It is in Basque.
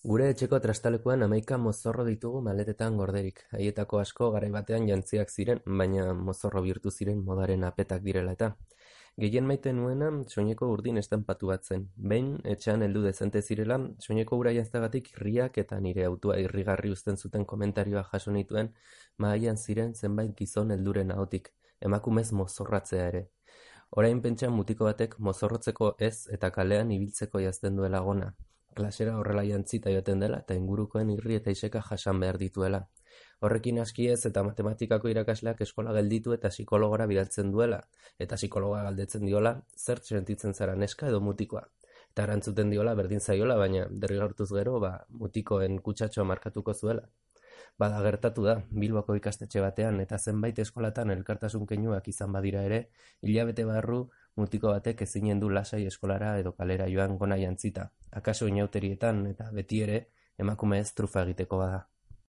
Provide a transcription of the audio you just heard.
Gure etxeko trastalekuan 11 mozorro ditugu maletetan gorderik. Haietako asko garai batean jantziak ziren, baina mozorro bihurtu ziren modaren apetak direla eta. Gehien maite nuena soineko urdin estanpatu bat zen. Behin, etxean heldu dezente zirela, soineko ura janztagatik irriak eta nire autua irrigarri uzten zuten komentarioa jaso nituen, mahaian ziren zenbait gizon helduren ahotik, emakumez mozorratzea ere. Orain pentsa mutiko batek mozorrotzeko ez eta kalean ibiltzeko jazten duela gona. Klasera horrela jantzita joaten dela eta ingurukoen irri eta iseka jasan behar dituela. Horrekin aski ez eta matematikako irakasleak eskola gelditu eta psikologora bidaltzen duela, eta psikologa galdetzen diola zer sentitzen zara neska edo mutikoa. Eta erantzuten diola berdin zaiola, baina derrigortuz gero, mutikoen kutsatxoa markatuko zuela. Bada gertatu da, Bilboko ikastetxe batean eta zenbait eskolatan elkartasun keinuak izan badira ere, hilabete barru mutiko batek ezinen du lasai eskolara edo kalera joan gona jantzita, akaso inauterietan eta beti ere emakume ez trufa egiteko bada.